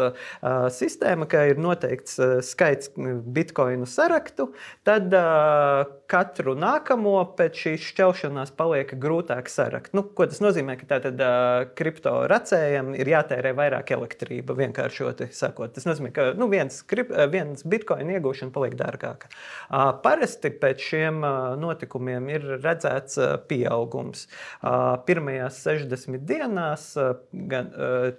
sistēma, ka ir noteikts skaits Bitcoinu saraktu, tad katru nākamo pēc šīs šķelšanās paliek grūtāk sarakt. Ko tas nozīmē? Ka tātad kripto racējiem ir jātērē vairāk elektrība, vienkāršoti sakot. Tas nozīmē, ka viens bitcoin iegūšana paliek dārgāka. Parasti pēc šiem notikumiem ir redzēts pieaugums. Pirmajās 60 dienās,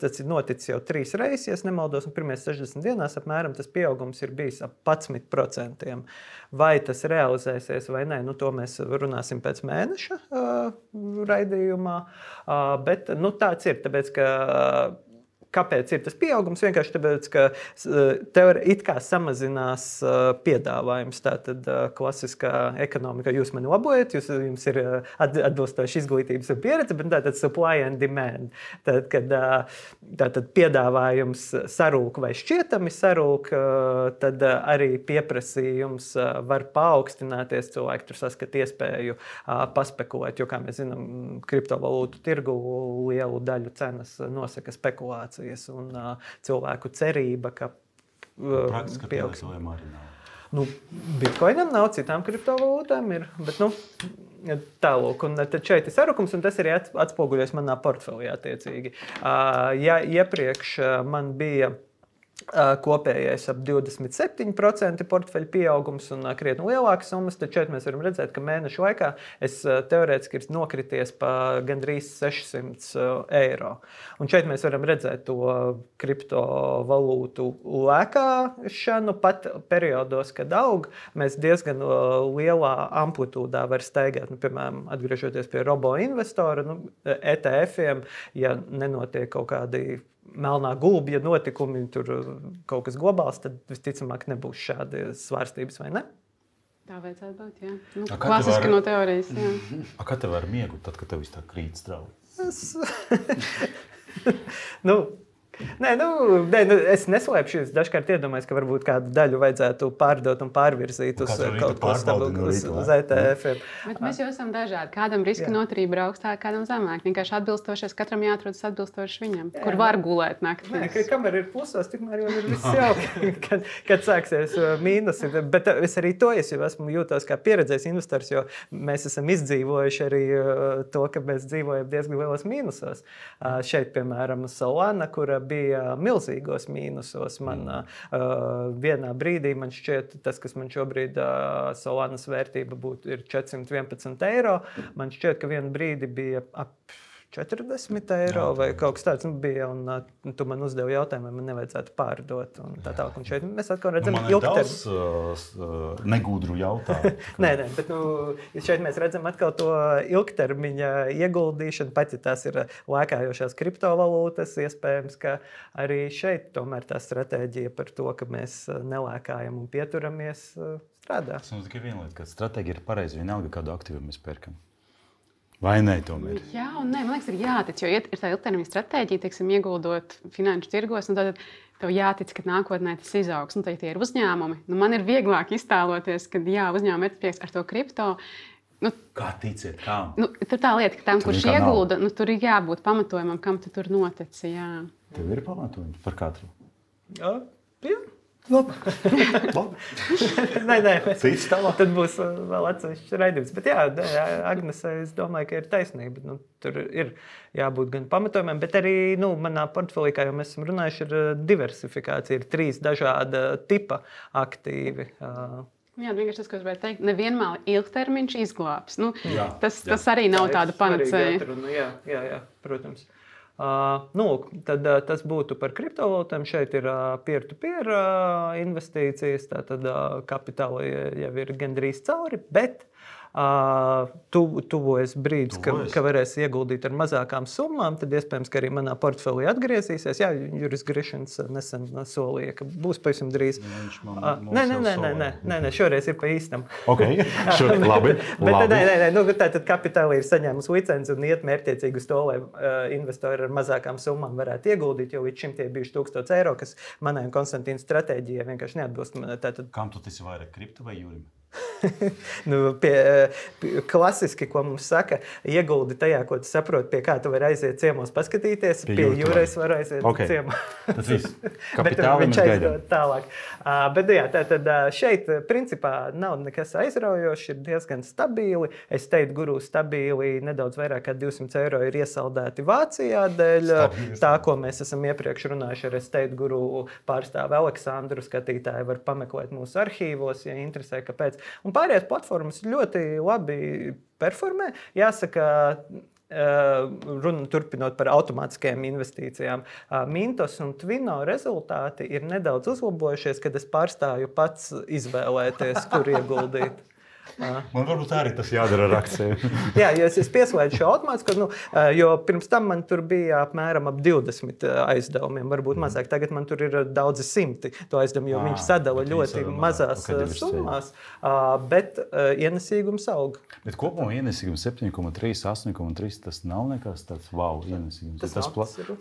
tas ir noticis jau 3 reizes, ja nemaldos, un pirmajās 60 dienās apmēram tas pieaugums ir bijis ap 11%. Vai tas realizēsies vai nē, to mēs runāsim pēc mēneša raidījumā. Bet tāds ir, tāpēc, ka kāpēc ir tas pieaugums? Vienkārši tāpēc, ka it kā samazinās piedāvājums. Tātad klasiskā ekonomika, jūs mani labojat, jums ir atbilstoši izglītības un pieredze, bet tātad supply and demand. Tātad piedāvājums sarūk vai šķietami sarūk, tad arī pieprasījums var paaugstināties. Cilvēki tur saskat iespēju paspekulēt, jo, kā mēs zinām, kriptovalūtu tirgu lielu daļu cenas nosaka spekulācija. Un cilvēku cerība, ka praktiski pielietojam arī nav. Bitcoinam nav, citām kriptovalūtām ir, bet tālūk. Un tad šeit ir sarukums, un tas arī atspoguļojas manā portfelī attiecīgi. Ja iepriekš man bija kopējais ap 27% portfeļu pieaugums un krietni lielākas summas, tad šeit mēs varam redzēt, ka mēnešu laikā es teorētiski ir nokrities pa gandrīz 600 eiro. Un šeit mēs varam redzēt to kriptovalūtu lēkāšanu, pat periodos, kad aug, mēs diezgan lielā amplitūdā var staigāt. Piemēram, atgriežoties pie robo investora, ETF-iem, ja nenotiek kaut kādi melnā gulbja notikumi, tur kaut kas globāls, tad visticamāk nebūs šādi svārstības, vai ne? Tā vajadzētu būt, jā. Nu, kā klasiski no teorijas, jā. Kā tev ar miegu, tad, kad tev viss tā krīt strauji? Nē, es neslēpšu, es dažkārt iedomājos, ka varbūt kādu daļu vajadzētu pārdot un pārvirzīt uz kaut ko stabilu, uz ETF-iem. Bet mēs jau esam dažādi. Kādam riska noturība ir augstāka, kādam zemāk. Vienkārši atbilstošies, katram jāatrodas atbilstoši viņam, kur var gulēt naktīs. Nē, kamēr ir plusos, tikmēr jau ir viss jauki, kad sāksies mīnusi. Bet es arī to esmu jūtos kā pieredzējis investors, jo mēs esam izdzīvojuši arī to, ka mēs dzīvojam diezgan lielos mīnusos. Šeit, piemēram, Solana, kura bija milzīgos mīnusos. Vienā brīdī man šķiet, tas, kas man šobrīd Solanas vērtība ir 411 eiro, man šķiet, ka vienu brīdi bija ap 40 eiro vai kaut kas tāds bija, un tu man uzdevi jautājumu, vai man nevajadzētu pārdot. Un šeit mēs atkal redzam ilgtermiņa. Negudru jautājumu. Nē, bet šeit mēs redzam atkal to ilgtermiņa ieguldīšanu, pat ja tās ir lēkājošās kriptovalūtas, iespējams, ka arī šeit tomēr tā stratēģija par to, ka mēs nelēkājam un pieturamies, strādā. Tas mums tikai viena lieta, ka stratēģija ir pareiza, vienalga kādu aktīvu mēs pērkam. Vai ne, tomēr? Jā, un nē, man liekas, ir jātic, jo ir tā ilgtermiņa stratēģija, teiksim, ieguldot finanšu tirgos, un tad tev jātic, ka nākotnē tas izaugs. Tad tie ir uzņēmumi. Man ir vieglāk iztēloties, ka uzņēmumi ir prieks ar to kripto. Kā ticiet, kā? Tur tā lieta, ka tam, kurš iegulda, tur ir jābūt pamatojumam, kam tu tur notici. Jā. Tev ir pamatojumi par katru? Jā. Labi. Nē, tad būs vēl atsevišķs raidījums. Bet jā, Agnese, es domāju, ka ir taisnība. Tur ir jābūt gan pamatojumiem, bet arī manā portfelī, kā jau mēs esam runājuši, ir diversifikācija. Ir 3 dažāda tipa aktīvi. Jā, vienkārši tas, ko es gribēju teikt, nevienmēr ilgtermiņš izglābs. Tas arī nav tāda panacēja. Jā, protams. Tad tas būtu par kriptovalūtām. Šeit ir peer-to-peer investīcijas, tātad kapitāla jau ir gandrīz cauri, bet tuvojas brīdis, ka varēs ieguldīt ar mazākām summām, tad iespējams, ka arī manā portfelī atgriezīsies. Jā, Juris Grišins nesen solīja, ka būs pavisam drīz. Nē, šoreiz ir pa īstam. Ok, labi. Tātad kapitāli ir saņēmusi licenci un iet mērķtiecīgi uz to, lai investori ar mazākām summām varētu ieguldīt, jo līdz šim tie bijuši 1000 eiro, kas manai un Konstantīna stratēģijai vienkārši neatbilst. Kam tu esi vairāk kripto vai Jurim? Klasiski, ko mums saka, ieguldi tajā, ko tu saproti, pie kā tu vari aiziet ciemos paskatīties. Pie Jūras var aiziet ciemā. Tas viss. Bet viņš aizdod tālāk. Bet jā, tātad šeit principā nav nekas aizraujošs, ir diezgan stabili. Es teiktu, guru stabili nedaudz vairāk kā 200 eiro ir iesaldēti Vācijā dēļ tā, ko mēs esam iepriekš runājuši ar Estate Guru pārstāvi Aleksandru. Skatītāji var pameklēt mūsu arhīvos, ja interesē, kāpēc. Un pārējās platformas ļoti labi performē. Jāsaka, turpinot par automātiskajām investīcijām, Mintos un Twino rezultāti ir nedaudz uzlabojušies, kad es pārstāju pats izvēlēties, kur ieguldīt. Man varbūt arī tas jādara ar akcijiem. Jā, jo es pieslēdzu šo automātisku, jo pirms tam man tur bija apmēram ap 20 aizdevumiem, varbūt mazāk. Tagad man tur ir daudzi simti to aizdevumu, jo viņš sadala ļoti mazās summās, bet ienesīgums aug. Bet kopumā ienesīgums 7,3, 8,3, tas nav nekas tāds wow ienesīgums. Tas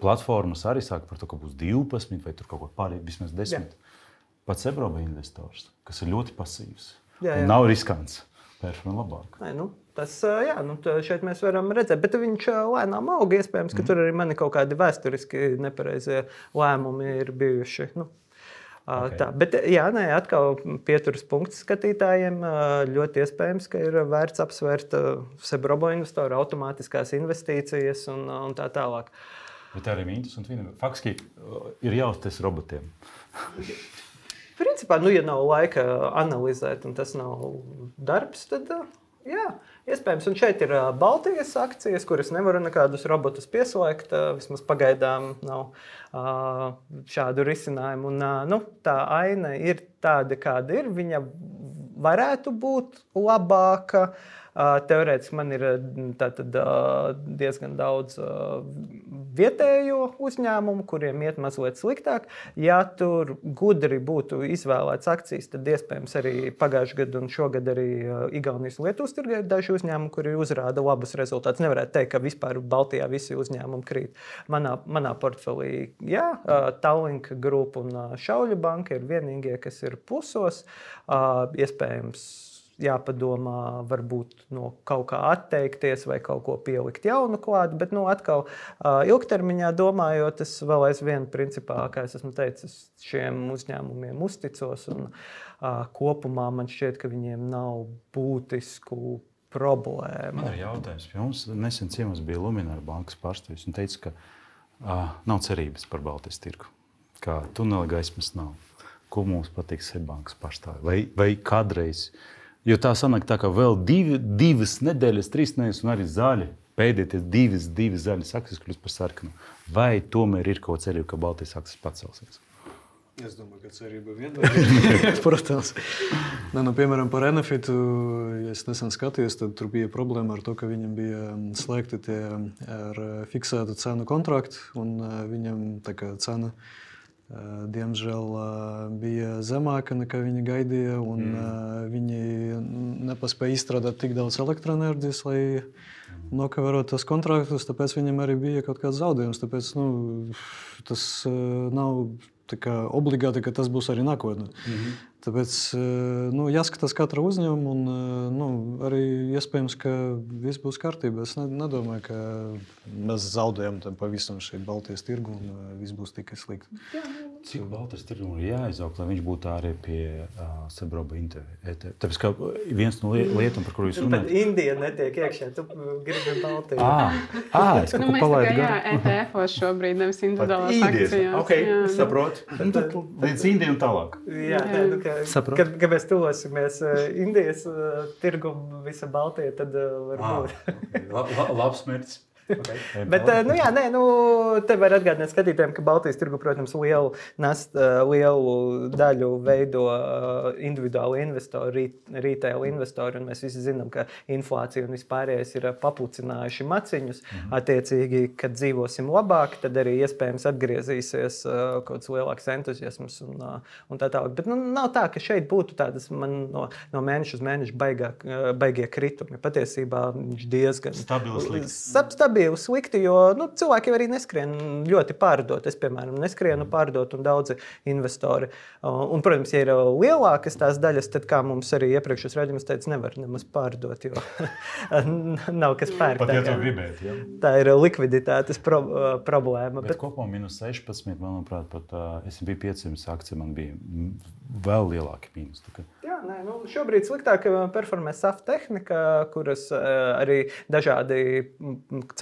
platformas arī sāk par to, ka būs 12 vai tur kaut ko pārējiem, vismaz 10. Pats Ebroba investors, kas ir ļoti pasīvs. Jā. Nav riskants. Pēršana labāk. Šeit mēs varam redzēt, bet viņš lēnām aug. Iespējams, ka tur arī mani kaut kādi vēsturiski nepareizie lēmumi ir bijuši. Tā. Bet atkal pieturas punkts skatītājiem. Ļoti iespējams, ka ir vērts apsvērt Sebrobo investoru automātiskās investīcijas un tā tālāk. Bet arī Mintos un Twino. Faktiski ir jāuzties robotiem. Principā, ja nav laika analizēt, un tas nav darbs, tad jā, iespējams. Un šeit ir Baltijas akcijas, kuras nevaru nekādus robotus pieslēgt. Vismaz pagaidām nav šādu risinājumu. Un, tā aina ir tāda, kāda ir. Viņa varētu būt labāka. Teorētiski man ir diezgan daudz vietējo uzņēmumu, kuriem iet mazliet sliktāk. Ja tur gudri būtu izvēlēts akcijas, tad iespējams arī pagājušajā gadā un šogad arī Igaunijas un Lietuvas tirgē ir daži uzņēmumi, kuri uzrāda labus rezultātus. Nevarētu teikt, ka vispār Baltijā visi uzņēmumi krīt. Manā portfelī, jā, Tallink Group un Šauļu banka ir vienīgie, kas ir plusos. Iespējams, jāpadomā, varbūt no kaut kā atteikties vai kaut ko pielikt jaunu klāt, bet atkal ilgtermiņā domājot, es vēl aizvien principā, kā es esmu teicis, šiem uzņēmumiem uzticos un kopumā man šķiet, ka viņiem nav būtisku problēmu. Man ir jautājums pie mums. Nesen ciemos bija Luminor bankas pārstāvis un teica, ka nav cerības par Baltijas tirgu, ka tunela gaismas nav. Ko mums patīk Seibankas pārstāvi? Vai kādreiz? Jo tā sanāk tā, ka vēl divas nedēļas, 3 nedēļas un arī zaļi. Pēdējie divas zaļas akcijas kļūst par sarkanu. Vai tomēr ir kaut cerība, ka Baltijas akcijas pacelsies? Es domāju, ka cerība vienmēr ir. Protams. Piemēram, par Enefitu, ja es nesen skatījos, tad tur bija problēma ar to, ka viņam bija slēgti tie ar fiksētu cenu kontrakti, un viņam tā kā cena diemžēl bija zemāka nekā viņi gaidīja, un viņi nepaspēja izstrādāt tik daudz elektroenerģijas, lai nokavērotu tos kontraktus, tāpēc viņam arī bija kaut kāds zaudējums. Tāpēc tas nav tā kā obligāti, ka tas būs arī nākotnē. Tāpēc jāskatās katra uzņēmuma, un arī iespējams, ka viss būs kārtībā. Es nedomāju, ka mēs zaudējam pavisam šeit Baltijas tirgu un viss būs tikai slikti. Cik Baltijas tirgum ir jāizaug, lai viņš būtu arī pie Sabroba ETF? Tāpēc, ka viens no lietām, par kuru jūs runājat... Bet Indija netiek iekšā, tu gribi Baltiju. Es kaut ko palaidu garu. ETF-os šobrīd, nevis individuālās akcijās. Ok, saprotu. Tad līdz Indiju un tālāk. Jā, kad mēs tuvosimies Indijas tirgumu visa Baltija, tad varbūt. Labs mērķis. Okay. Bet, te var atgādināt skatītājiem, ka Baltijas tirgu, protams, lielu daļu veido individuāli investori, retail investori, un mēs visi zinām, ka inflācija un vispārējais ir papucinājuši maciņus. Attiecīgi, kad dzīvosim labāk, tad arī iespējams atgriezīsies kaut kāds lielāks entuziasms un tā tālāk. Bet nav tā, ka šeit būtu tādas no mēneša uz mēnešu baigie kritumi. Patiesībā viņš diezgan stabili slikti, jo cilvēki arī neskrien ļoti pārdot. Es, piemēram, neskrienu pārdot un daudzi investori. Un, protams, ja ir lielākas tās daļas, tad, kā mums arī iepriekšējos raidījumos teica, nevar nemaz pārdot, jo nav kas pērk. Pat ja to gribēt, ja? Tā ir likviditātes problēma. Bet kopumā minus 16, manuprāt, pat S&P 500 akcija man bija vēl lielāki mīnus. Jā, šobrīd sliktāk performē SAF tehnika, kuras arī dažādi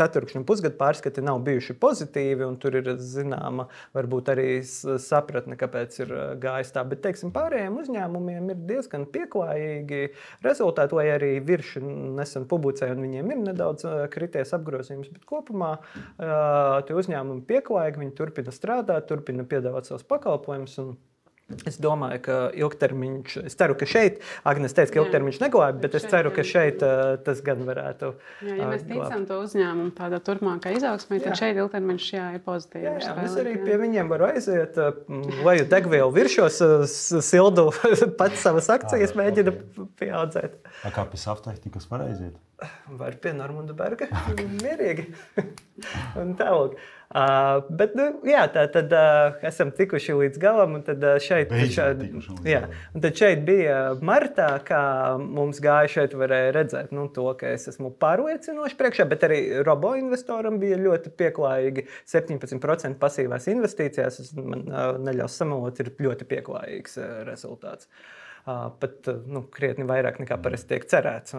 ceturkšņu un pusgadu pārskati nav bijuši pozitīvi, un tur ir zināma varbūt arī sapratne, kāpēc ir gājis tā. Bet, teiksim, pārējiem uzņēmumiem ir diezgan pieklājīgi rezultāti, lai arī virši nesen publicēja, un viņiem ir nedaudz krities apgrozījums. Bet kopumā tie uzņēmumi pieklājīgi, viņi turpina strādāt, turpina piedāvāt savus pakalpojumus. Es domāju, ka ilgtermiņš, es ceru, ka šeit, Agnes teica, ka ilgtermiņš neglābi, bet es ceru, ka šeit tas gan varētu glābt. Ja mēs ticam to uzņēmumu tādā turpmākā izaugsmē, tad šeit ilgtermiņš ir pozitīvi. Es arī pie viņiem varu aiziet, leju degvielu viršos, sildu pats savas akcijas mēģina pieaudzēt. Kā pie SAF tehnikas var aiziet? Var pie Normunda Berga, mierīgi. Un tālāk. Bet, tad esam tikuši līdz galam, un tad šeit bija martā, kā mums gāja šeit varēja redzēt to, ka es esmu pārliecinoši priekšā, bet arī robo investoram bija ļoti pieklājīgi 17% pasīvās investīcijās. Man neļaus samalot, ir ļoti pieklājīgs rezultāts. Pat krietni vairāk nekā parasti tiek cerēts.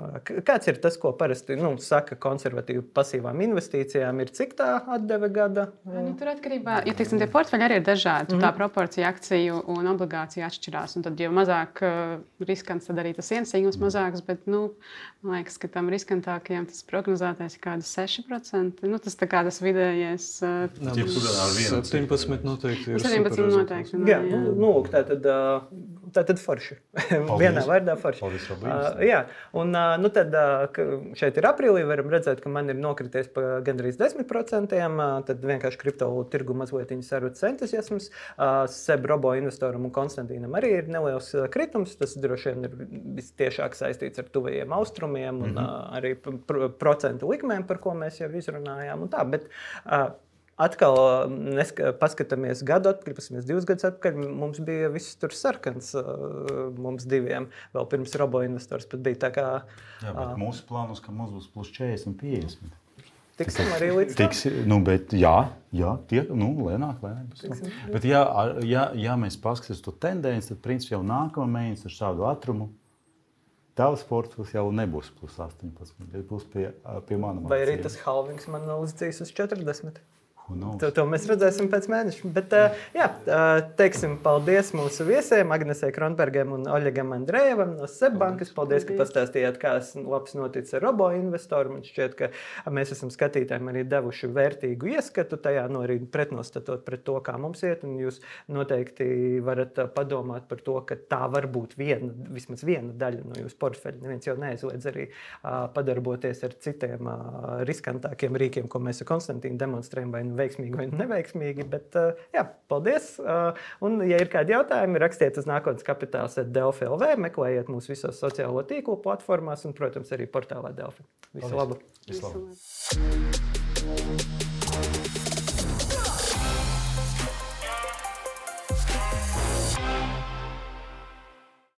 Kāds ir tas, ko parasti saka konservatīvi pasīvām investīcijām, ir cik tā atdeve gada? Tur atkarībā, ja teiksim, tie portfeļi arī ir dažādi, tā proporcija akciju un obligāciju atšķirās. Un tad, jo mazāk riskants, tad arī tas ienesīgums mazāks, bet, man liekas, ka tam riskantākajiem tas prognozētais ir kādi 6%. Tas tā kā tas vidējais. 17 noteikti ir 17 noteikti. Jā, tātad forši. Vienā vārdā forši. Paldies, Robi. Jā, un tad šeit ir aprīlī, varam redzēt, ka man ir nokrities pa gandrīz 10%, tad vienkārši kriptovalūtu tirgu mazliet sarutas entuziasms. Seb Robo investoram un Konstantīnam arī ir neliels kritums, tas droši vien ir vistiešāk saistīts ar tuvajiem austrumiem un arī procentu likmēm, par ko mēs jau izrunājām un tā, bet atkal paskatāmies gadu atpakaļ, paskatāmies 2 gadus atpakaļ, mums bija viss tur sarkans, mums diviem, vēl pirms Robo investors pat bija tā kā... Jā, bet mūsu plānos, ka mums būs plus 40, 50. Tiksim arī līdz tam? Bet jā, lēnāk. Bet ja mēs paskatāmies to tendenci, tad principā jau nākamā mēnesis ar šādu ātrumu tavs portfels jau nebūs plus 18, būs pie manām. Vai arī tas halvings man uzdzīs uz 40? To mēs redzēsim pēc mēneša. Bet, teiksim paldies mūsu viesiem, Agnesei Kronbergam un Oļegam Andrejevam no SEB bankas. Paldies, ka pastāstījāt, kā labs noticis ar Robo investoru. Man šķiet, ka mēs esam skatītājiem arī devuši vērtīgu ieskatu tajā, arī pretnostatot pret to, kā mums iet. Un jūs noteikti varat padomāt par to, ka tā var būt vismaz viena daļa no jūsu portfeļa. Neviens jau neaizliedz arī padarboties ar citiem riskantākiem rīkiem, ko mēs ar Konstantīnu demonstrējam, vai veiksmīgi vai neveiksmīgi, bet paldies. Un, ja ir kādi jautājumi, rakstiet uz nākotneskapitāls@delfi.lv, meklējiet mūs visos sociālo tīklu platformās un, protams, arī portālā Delfi. Visu labu! Visu labu!